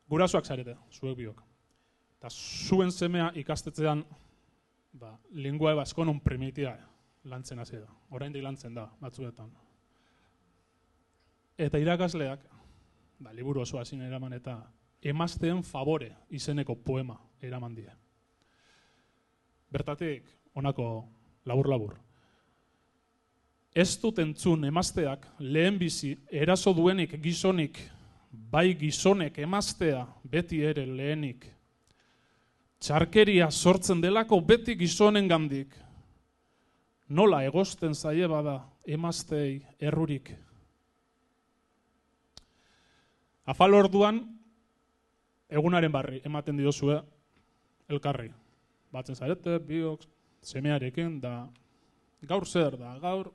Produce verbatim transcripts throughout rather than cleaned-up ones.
Gurasoak zarete, zuek biok. Eta zuen semea ikastetzean, ba, lingua baskonon primitia lantzen hasi da. Oraindik lantzen da, batzuetan. Eta irakasleak, ba, liburu osoa ezin eraman eta emazteen favore izeneko poema eraman die. Bertatik, honako labur-labur. Ez dut entzun emazteak lehenbizi eraso duenik gizonik, bai gizonek emaztea beti ere lehenik. Txarkeria sortzen delako beti gizonengandik. Nola egosten zaie bada emaztei errurik. Afal orduan, egunaren barri ematen diozue elkarri. Batzen zarete, biok, semearekin, da gaur zer da, gaur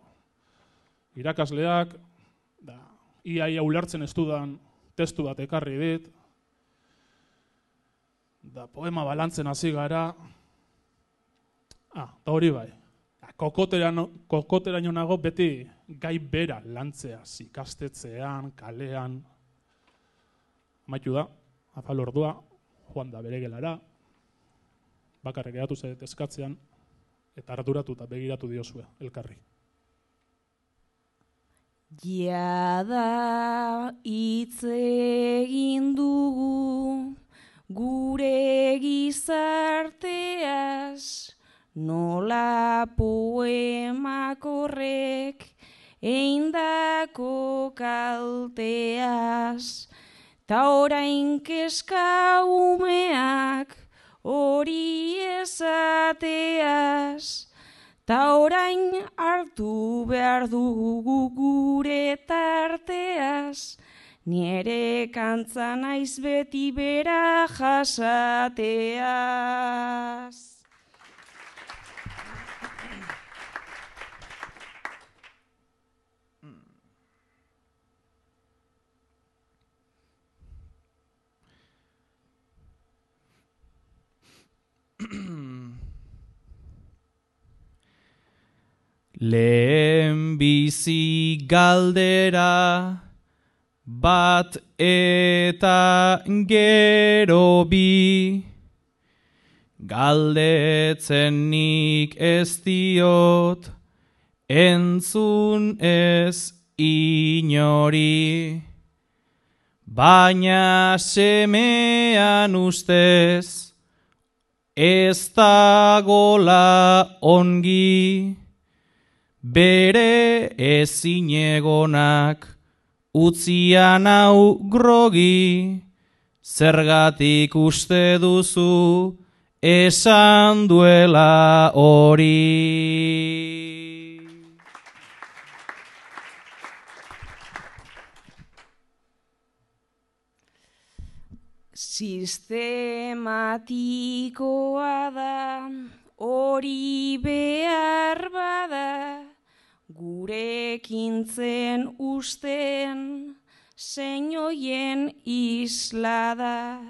irakasleak, da iaia ulertzen ez dudan testu bat ekarri dit, da poema balantzen hasi gara, ah, da hori bai, kokoteraino nago beti gai bera lantzeaz, ikastetzean, kalean, amaitu da, afal ordua, joan da bere gelara, bakarrik geratu zaret eskatzean, eta arduratu eta begiratu diozue, elkarri. Jada hitz egin dugu gure gizarteaz, nola poemak horrek eindako kalteaz, ta orain kezka umeak hori esateaz, ta orain hartu behar dugu gure tarteaz, nire kantza naiz beti bera jasateaz. Lehen bizi galdera bat eta gero bi, galdetzen nik ez diot entzun ez inori, baina semean ustez ez dagola ongi, bere ezinegonak utzian hau grogi, zergatik uste duzu esan duela hori. Sistematikoa da, hori behar bada, gurekintzen usten zeinoien isla da,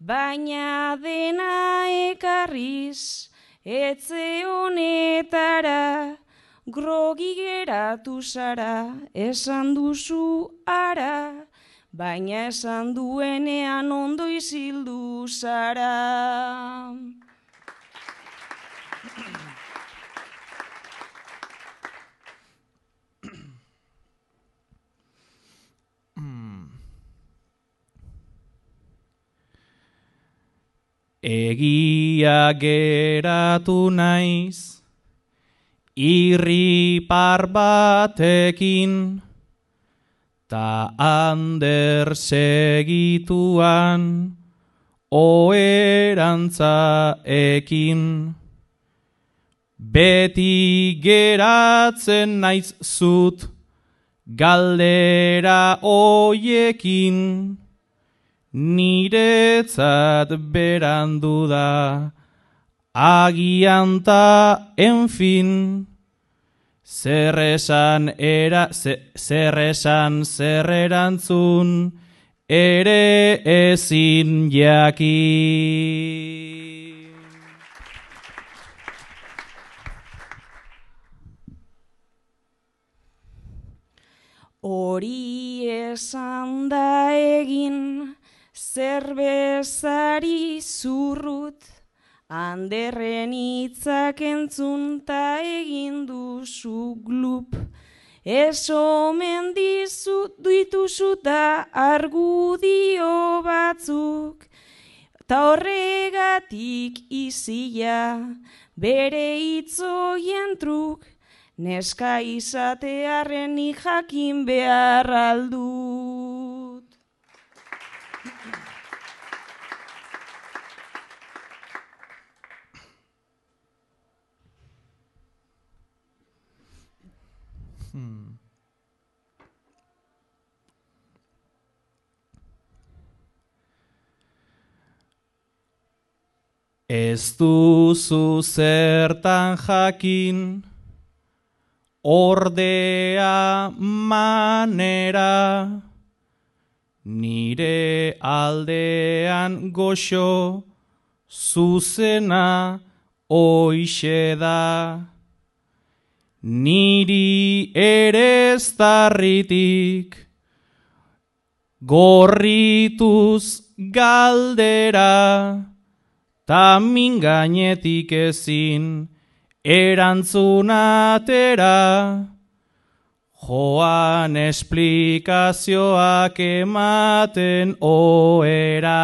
baina dena ekarriz etxe honetara, grogi geratu zara, esan duzu ara, baina esan duenean ondo izildu zara. Egia geratu naiz, irripar batekin, ta ander segituan oherantza ekin. Beti geratzen naiz zut galdera hoiekin, niretzat berandu da, agian ta, enfin, zer esan era, zer esan zer erantzun, ere ezin jakin. Hori esan da egin, zerbezari zurrut, anderren hitzak entzun ta egin duzu glup. Ez omen dituzu da argudio batzuk, ta horregatik izia bere hitzoien truk, neska izatearren nik jakin behar aldut. Hmm. Ez duzu zertan jakin, ordea manera, nire aldean goxo, zuzena hoixe da. Niri ere eztarritik, gorrituz galdera, ta min gainetik ezin erantzunatera, joan esplikazioak ematen oera.